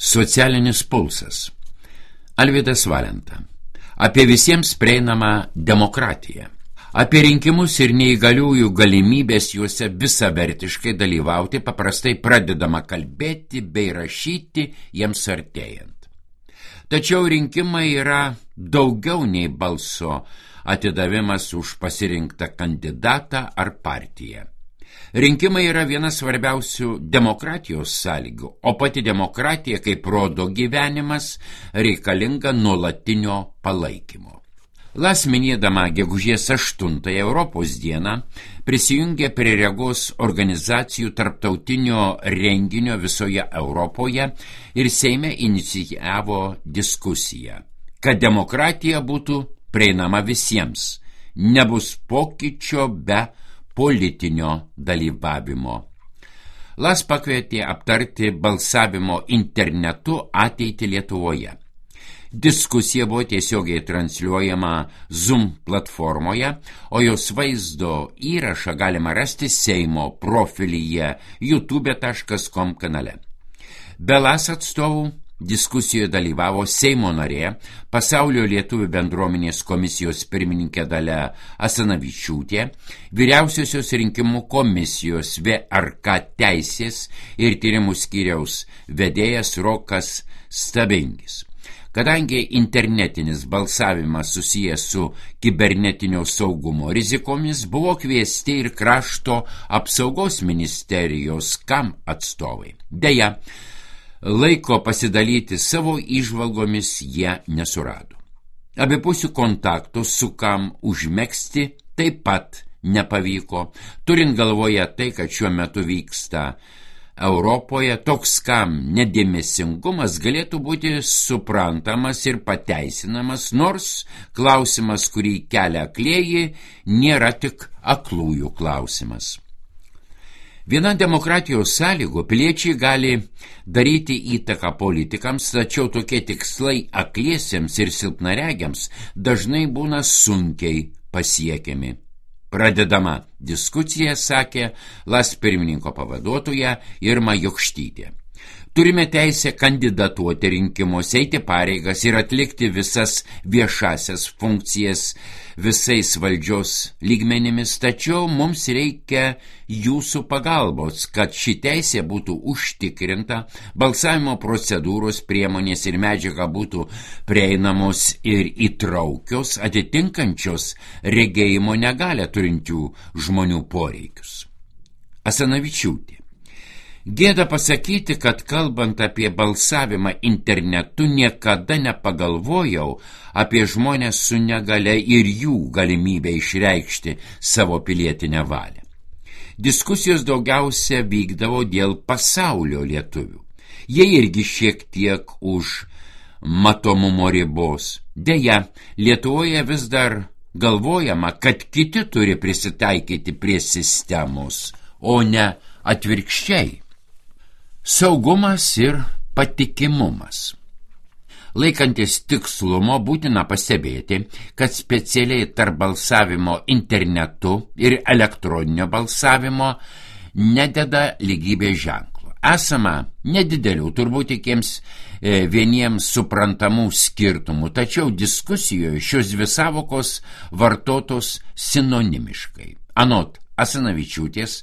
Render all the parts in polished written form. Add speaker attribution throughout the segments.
Speaker 1: Socialinis pulsas. Alvydas Valenta. Apie visiems prieinamą demokratiją. Apie rinkimus ir neįgaliųjų galimybės juose visavertiškai dalyvauti paprastai pradedama kalbėti bei rašyti jiems artėjant. Tačiau rinkimai yra daugiau nei balso atidavimas už pasirinktą kandidatą ar partiją. Rinkimai yra viena svarbiausių demokratijos sąlygų, o pati demokratija, kaip rodo gyvenimas, reikalinga nuolatinio palaikymo. LAS minėdama gegužės 8 Europos dieną prisijungė prie Regos organizacijų tarptautinio renginio visoje Europoje ir Seime inicijavo diskusiją, kad demokratija būtų prieinama visiems, nebus pokyčio be politinio dalyvavimo. LAS pakvietė aptarti balsavimo internetu ateitį Lietuvoje. Diskusija buvo tiesiogiai transliuojama Zoom platformoje, o jos vaizdo įrašą galima rasti Seimo profilyje youtube.com kanale. Be LAS atstovų diskusijoje dalyvavo Seimo narė, Pasaulio lietuvių bendruomenės komisijos pirmininkė Dalia Asanavičiūtė, Vyriausiosios rinkimų komisijos VRK teisės ir tyrimų skyriaus vedėjas Rokas Stabingis. Kadangi internetinis balsavimas susijęs su kibernetinio saugumo rizikomis, buvo kviesti ir krašto apsaugos ministerijos KAM atstovai. Deja, laiko pasidalyti savo įžvalgomis jie nesurado. Abipusių kontaktų su KAM užmegzti taip pat nepavyko, turint galvoje tai, kad šiuo metu vyksta Europoje, toks KAM nedėmesingumas galėtų būti suprantamas ir pateisinamas, nors klausimas, kurį kelia aklieji, nėra tik aklųjų klausimas. Viena demokratijos sąlygų piliečiai gali daryti įtaką politikams, tačiau tokie tikslai akliesiems ir silpnaregiams dažnai būna sunkiai pasiekiami. Pradedama diskusija, sakė LAS pirmininko pavaduotoja Irma Jokštytė. Turime teisę kandidatuoti rinkimuose, eiti pareigas ir atlikti visas viešasias funkcijas visais valdžios lygmenimis, tačiau mums reikia jūsų pagalbos, kad ši teisė būtų užtikrinta, balsavimo procedūros, priemonės ir medžiaga būtų prieinamos ir įtraukios, atitinkančios regėjimo negalią turinčių žmonių poreikius. Asanavičiūtė. Gėda pasakyti, kad kalbant apie balsavimą internetu niekada nepagalvojau apie žmonės su negale ir jų galimybę išreikšti savo pilietinę valią. Diskusijos daugiausia vykdavo dėl pasaulio lietuvių. Jie irgi šiek tiek už matomumo ribos. Deja, Lietuvoje vis dar galvojama, kad kiti turi prisitaikyti prie sistemos, o ne atvirkščiai. Saugumas ir patikimumas. Laikantis tikslumo būtina pastebėti, kad specialiai tarp balsavimo internetu ir elektroninio balsavimo nededa lygybės ženklo. Esama nedidelių, turbūt tikiems vieniems suprantamų skirtumų, tačiau diskusijoje šios dvi sąvokos vartotos sinonimiškai. Anot Asanavičiūtės,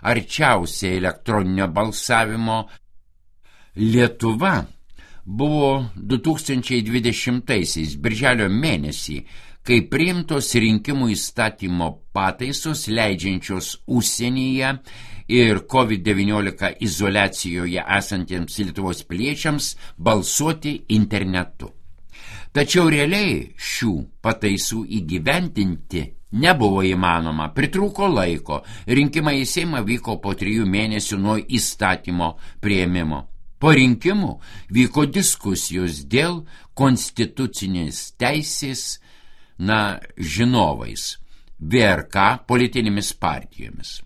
Speaker 1: arčiausiai elektroninio balsavimo Lietuva buvo 2020 birželio mėnesį, kai priimtos rinkimų įstatymo pataisos leidžiančios užsienyje ir COVID-19 izoliacijoje esantiems Lietuvos piliečiams balsuoti internetu. Tačiau realiai šių pataisų įgyvendinti nebuvo įmanoma, pritrūko laiko, rinkimai į Seimą vyko po 3 mėnesių nuo įstatymo priėmimo. Po rinkimų vyko diskusijos dėl konstitucinės teisės žinovais, VRK politinėmis partijomis.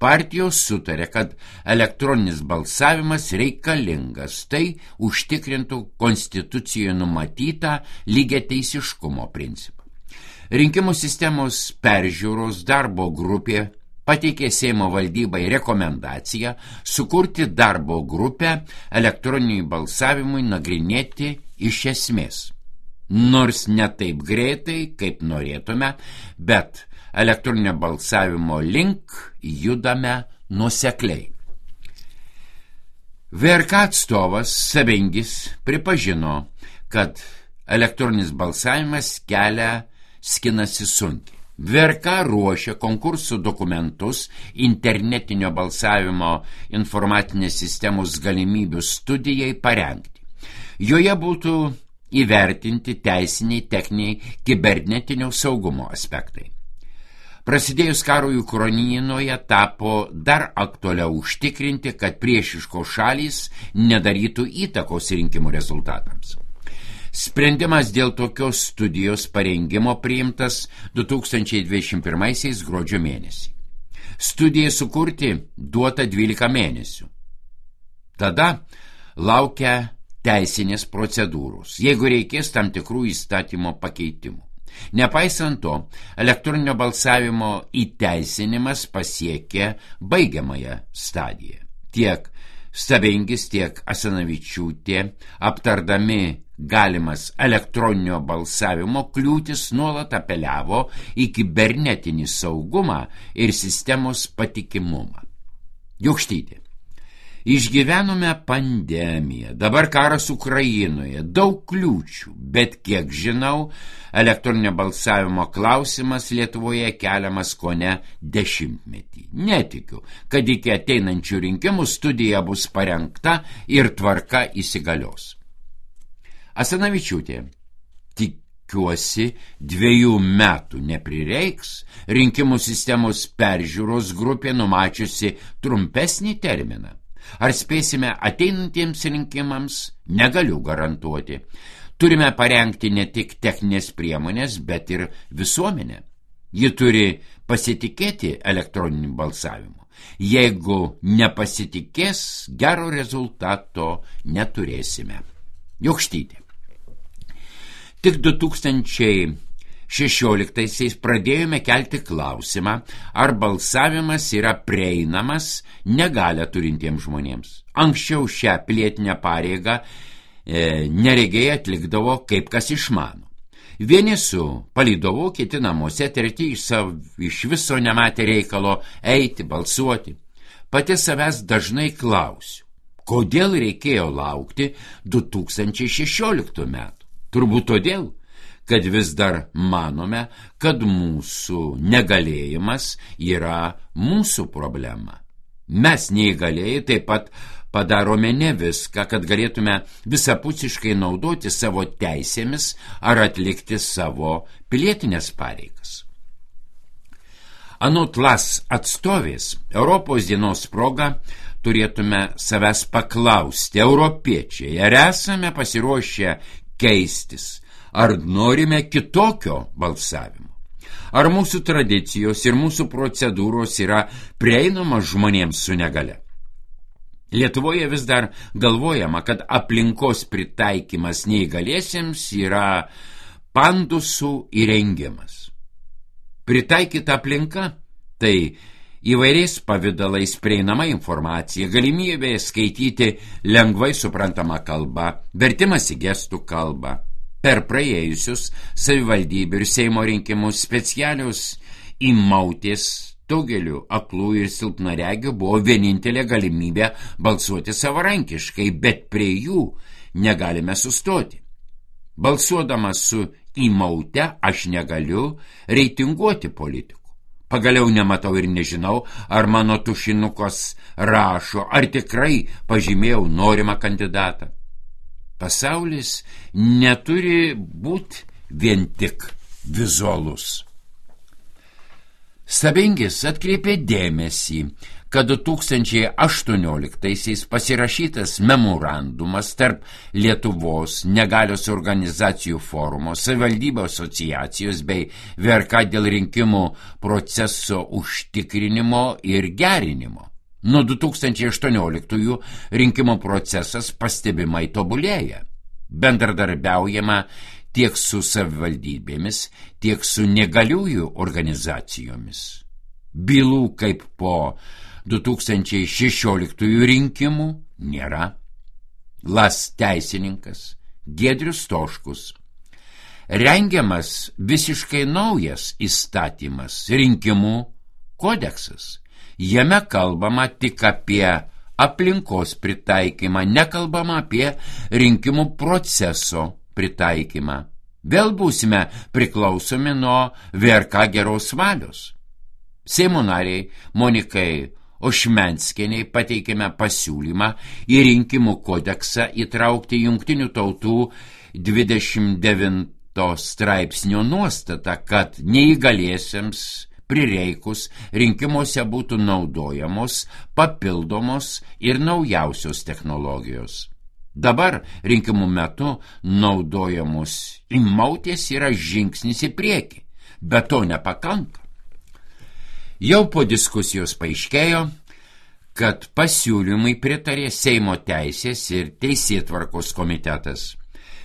Speaker 1: Partijos sutarė, kad elektroninis balsavimas reikalingas, tai užtikrintų konstitucijoje numatytą lygiateisiškumo principą. Rinkimų sistemos peržiūros darbo grupė pateikė Seimo valdybai rekomendaciją sukurti darbo grupę elektroniniui balsavimui nagrinėti iš esmės. Nors ne taip greitai, kaip norėtume, bet elektroninio balsavimo link judame nuosekliai. VRK atstovas Savingis pripažino, kad elektroninis balsavimas kelią skinasi sunkiai. VRK ruošia konkursų dokumentus internetinio balsavimo informacinės sistemos galimybių studijai parengti. Joje būtų įvertinti teisiniai, techniniai, kibernetinio saugumo aspektai. Prasidėjus karui Ukrainoje tapo dar aktualiau užtikrinti, kad priešiškos šalys nedarytų įtakos rinkimų rezultatams. Sprendimas dėl tokios studijos parengimo priimtas 2021 gruodžio mėnesį. Studijai sukurti duota 12 mėnesių. Tada laukia teisinės procedūros, jeigu reikės tam tikrų įstatymo pakeitimų. Nepaisant to, elektroninio balsavimo įteisinimas pasiekė baigiamąją stadiją. Tiek Savingis, tiek Asanavičiūtė, aptardami galimas elektroninio balsavimo kliūtis, nuolat apeliavo į kibernetinį saugumą ir sistemos patikimumą. Jokštytė. Išgyvenome pandemiją, dabar karas Ukrainoje, daug kliūčių, bet kiek žinau, elektroninio balsavimo klausimas Lietuvoje keliamas kone 10 metį. Netikiu, kad iki ateinančių rinkimų studija bus parengta ir tvarka įsigalios. Asanavičiūtė. Tikiuosi, 2 metų neprireiks, rinkimų sistemos peržiūros grupė numačiusi trumpesnį terminą. Ar spėsime ateinantiems rinkimams, negaliu garantuoti. Turime parengti ne tik techninės priemonės, bet ir visuomenę. Ji turi pasitikėti elektroniniu balsavimu. Jeigu nepasitikės, gero rezultato neturėsime. Jokštytė. Tik 2016 pradėjome kelti klausimą, ar balsavimas yra prieinamas negalią turintiems žmonėms. Anksčiau šią pilietinę pareigą neregiai atlikdavo kaip kas išmano. Vieni su palydovu, kiti namuose, treti iš viso nematė reikalo eiti, balsuoti. Pati savęs dažnai klausiu, kodėl reikėjo laukti 2016 metų. Turbūt todėl, kad vis dar manome, kad mūsų negalėjimas yra mūsų problema. Mes neįgalėjai taip pat padarome ne viską, kad galėtume visapusiškai naudoti savo teisėmis ar atlikti savo pilietinės pareigas. Anot LAS atstovės, Europos dienos proga turėtume savęs paklausti, europiečiai, ar esame pasiruošę keistis, ar norime kitokio balsavimo. Ar mūsų tradicijos ir mūsų procedūros yra prieinamos žmonėms su negale. Lietuvoje vis dar galvojama, kad aplinkos pritaikymas neįgaliesiems yra pandusų įrengimas. Pritaikyta aplinka – tai įvairiais pavidalais prieinama informacija, galimybė skaityti lengvai suprantamą kalbą, vertimas į gestų kalbą. Per praėjusius savivaldybių ir Seimo rinkimus specialios įmautės daugeliu aklų ir silpnaregių buvo vienintelė galimybė balsuoti savarankiškai, bet prie jų negalime sustoti. Balsuodamas su įmaute aš negaliu reitinguoti politikų. Pagaliau nematau ir nežinau, ar mano tušinukas rašo, ar tikrai pažymėjau norimą kandidatą. Pasaulis neturi būti vien tik vizualus. Savingis atkreipė dėmesį, kad 2018 pasirašytas memorandumas tarp Lietuvos negalios organizacijų forumo, savivaldybių asociacijos bei VRK dėl rinkimų proceso užtikrinimo ir gerinimo. Nuo 2018 rinkimų procesas pastebimai tobulėja. Bendradarbiaujama tiek su savivaldybėmis, tiek su negaliųjų organizacijomis. Bylų kaip po 2016 rinkimų nėra. LAS teisininkas Giedrius Stoškus. Rengiamas visiškai naujas įstatymas, rinkimų kodeksas. Jame kalbama tik apie aplinkos pritaikymą, nekalbama apie rinkimų proceso pritaikymą. Vėl būsime priklausomi nuo VRK geros valios. Seimo nariai Monikai Ošmenskienei pateikėme pasiūlymą į rinkimų kodeksą įtraukti Jungtinių tautų 29 straipsnio nuostatą, kad neįgaliesiems prireikus rinkimuose būtų naudojamos papildomos ir naujausios technologijos. Dabar rinkimų metu naudojamos įmautės yra žingsnis į priekį, bet to nepakanka. Jau po diskusijos paaiškėjo, kad pasiūlymai pritarė Seimo teisės ir teisėtvarkos komitetas.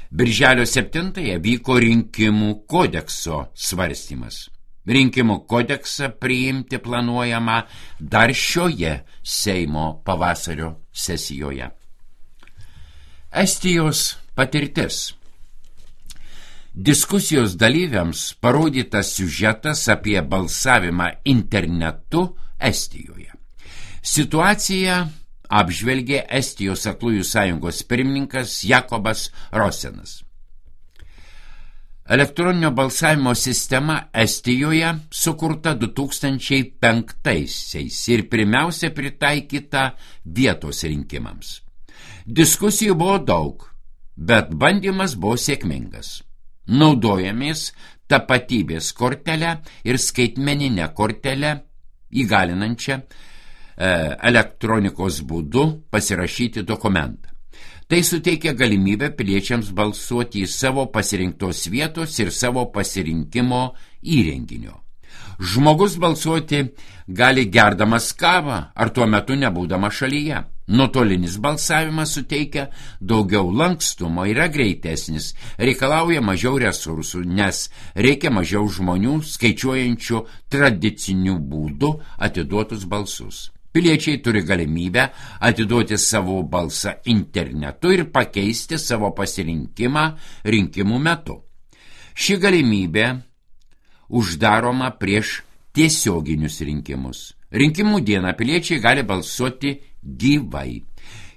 Speaker 1: Birželio 7 vyko rinkimų kodekso svarstymas. Rinkimų kodeksą priimti planuojama dar šioje Seimo pavasario sesijoje. Estijos patirtis. Diskusijos dalyviams parodytas siužetas apie balsavimą internetu Estijoje. Situaciją apžvelgė Estijos aklųjų sąjungos pirmininkas Jakobas Rosenas. Elektroninio balsavimo sistema Estijoje sukurta 2005-aisiais ir pirmiausia pritaikyta vietos rinkimams. Diskusijų buvo daug, bet bandymas buvo sėkmingas. Naudojamės tapatybės kortelę ir skaitmeninę kortelę įgalinančią elektronikos būdu pasirašyti dokumentą. Tai suteikia galimybę piliečiams balsuoti į savo pasirinktos vietos ir savo pasirinkimo įrenginio. Žmogus balsuoti gali gerdamas kavą ar tuo metu nebūdama šalyje. Nuotolinis balsavimas suteikia daugiau lankstumo, yra greitesnis, reikalauja mažiau resursų, nes reikia mažiau žmonių skaičiuojančių tradicinių būdų atiduotus balsus. Piliečiai turi galimybę atiduoti savo balsą internetu ir pakeisti savo pasirinkimą rinkimų metu. Ši galimybė uždaroma prieš tiesioginius rinkimus. Rinkimų dieną piliečiai gali balsuoti gyvai.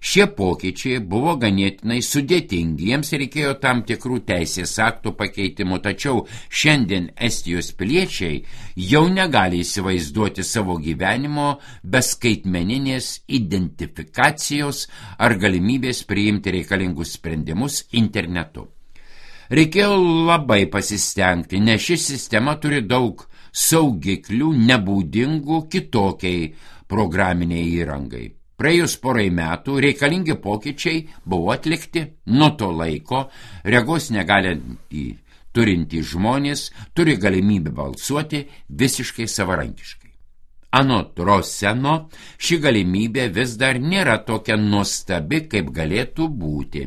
Speaker 1: Šie pokyčiai buvo ganėtinai sudėtingi, jiems reikėjo tam tikrų teisės aktų pakeitimų, tačiau šiandien Estijos piliečiai jau negali įsivaizduoti savo gyvenimo be skaitmeninės identifikacijos ar galimybės priimti reikalingus sprendimus internetu. Reikėjo labai pasistengti, nes ši sistema turi daug saugiklių nebūdingų kitokiai programiniai įrangai. Praėjus porai metų reikalingi pokyčiai buvo atlikti. Nuo to laiko regos negalintį turintys žmonės turi galimybę balsuoti visiškai savarankiškai. Anot Roseno, ši galimybė vis dar nėra tokia nuostabi, kaip galėtų būti.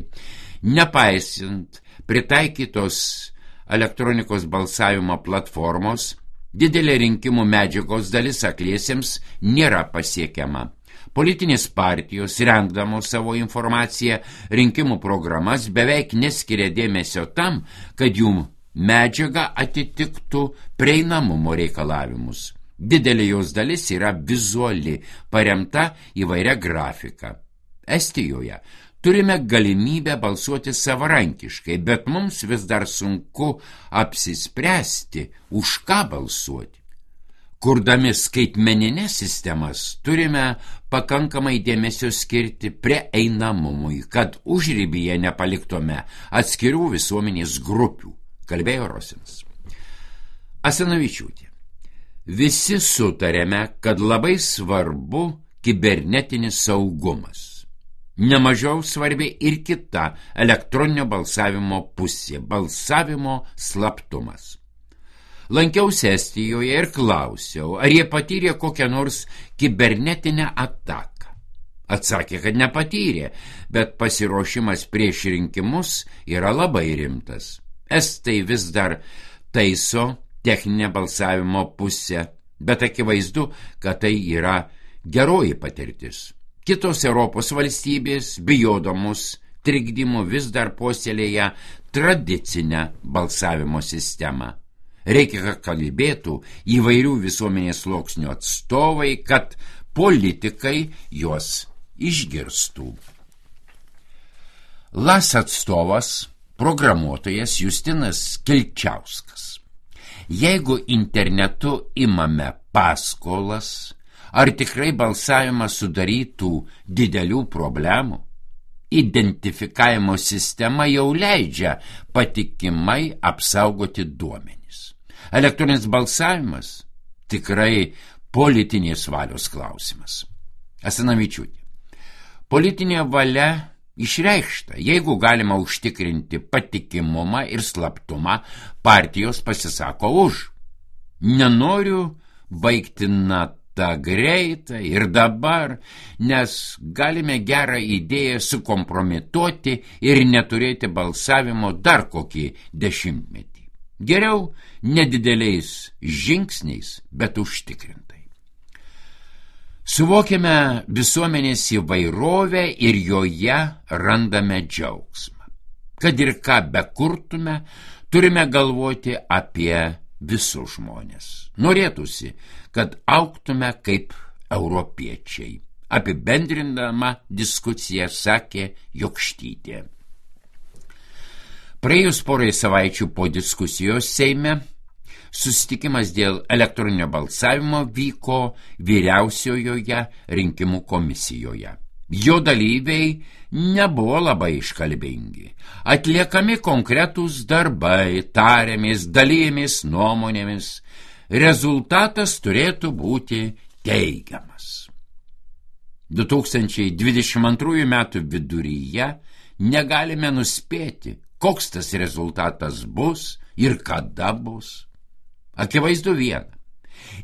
Speaker 1: Nepaisant pritaikytos elektronikos balsavimo platformos, didelė rinkimų medžiagos dalis akliesiems nėra pasiekiama. Politinės partijos, rengdamos savo informaciją, rinkimų programas beveik neskiria dėmesio tam, kad jų medžiaga atitiktų prieinamumo reikalavimus. Didelė jos dalis yra vizuali, paremta įvairia grafika. Estijoje turime galimybę balsuoti savarankiškai, bet mums vis dar sunku apsispręsti, už ką balsuoti. Kurdami skaitmeninės sistemas turime pakankamai dėmesio skirti prieinamumui, kad užribyje nepaliktume atskirų visuomenės grupių, kalbėjo Rosenas. Asanavičiūtė. Visi sutarėme, kad labai svarbu kibernetinis saugumas. Nemažiau svarbi ir kita elektroninio balsavimo pusė – balsavimo slaptumas. Lankiausi Estijoje ir klausiau, ar jie patyrė kokią nors kibernetinę ataką. Atsakė, kad nepatyrė, bet pasiruošimas prieš rinkimus yra labai rimtas. Estai vis dar taiso techninę balsavimo pusę, bet akivaizdu, kad tai yra geroji patirtis. Kitos Europos valstybės, bijodamos trikdymų, vis dar puoselėja tradicinę balsavimo sistemą. Reikia, kad kalbėtų įvairių visuomenės sluoksnių atstovai, kad politikai juos išgirstų. LAS atstovas, programuotojas Justinas Kilčiauskas. Jeigu internetu imame paskolas, ar tikrai balsavimas sudarytų didelių problemų? Identifikavimo sistema jau leidžia patikimai apsaugoti duomenis. Elektroninis balsavimas tikrai politinės valios klausimas. Asanavičiūtė. Politinė valia išreikšta. Jeigu galima užtikrinti patikimumą ir slaptumą, partijos pasisako už. Nenoriu baigti natą greitai ir dabar, nes galime gerą idėją sukompromituoti ir neturėti balsavimo dar kokį 10 metį. Geriau nedideliais žingsniais, bet užtikrintai. Suvokiame visuomenės įvairovę ir joje randame džiaugsmą. Kad ir ką bekurtume, turime galvoti apie visus žmonės. Norėtųsi, kad augtume kaip europiečiai. Apibendrindama diskusiją sakė Jokštytė. Praėjus porai savaičių po diskusijos Seime, susitikimas dėl elektroninio balsavimo vyko Vyriausiojoje rinkimų komisijoje. Jo dalyviai nebuvo labai iškalbingi. Atliekami konkretūs darbai, tariamės, dalyjamės nuomonėmis. Rezultatas turėtų būti teigiamas. 2022 metų viduryje negalime nuspėti, koks tas rezultatas bus ir kada bus. Akivaizdu viena.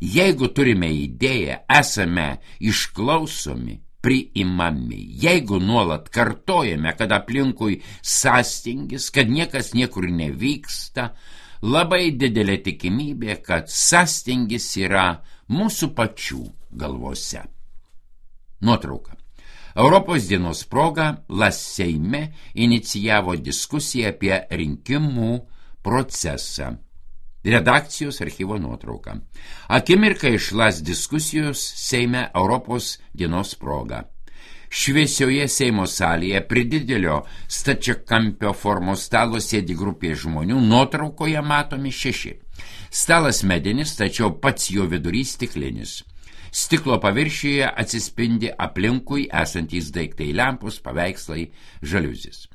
Speaker 1: Jeigu turime idėją, esame išklausomi, priimami. Jeigu nuolat kartojame, kad aplinkui sąstingis, kad niekas niekur nevyksta, labai didelė tikimybė, kad sąstingis yra mūsų pačių galvose. Nuotrauka. Europos dienos proga LAS Seime inicijavo diskusiją apie rinkimų procesą. Redakcijos archyvo nuotrauka. Akimirka iš LAS diskusijos Seime Europos dienos proga. Šviesioje Seimo salėje prie didelio stačiakampio formos stalo sėdi grupė žmonių, nuotraukoje matomi 6. Stalas medinis, tačiau pats jo vidurys stiklinis. Stiklo paviršiuje atsispindi aplinkui esantys daiktai, lempos, paveikslai, žaliuzės.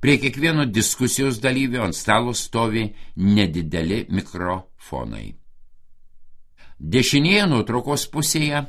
Speaker 1: Prie kiekvieno diskusijos dalyvio ant stalo stovi nedideli mikrofonai. Dešinėje nuotraukos pusėje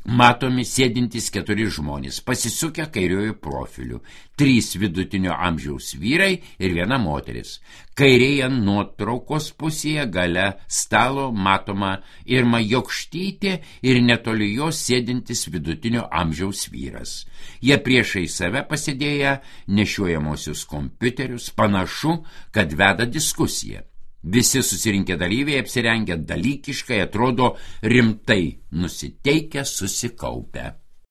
Speaker 1: matomi sėdintys 4 žmonės, pasisukę kairiojų profilių, 3 vidutinio amžiaus vyrai ir 1 moteris. Kairėje nuotraukos pusėje gale stalo matoma Irma Jokštytė ir netoli jos sėdintis vidutinio amžiaus vyras. Jie priešai save pasidėję nešiojamosius kompiuterius, panašu, kad veda diskusiją. Visi susirinkę dalyviai apsirengę dalykiškai, atrodo rimtai nusiteikę, susikaupę.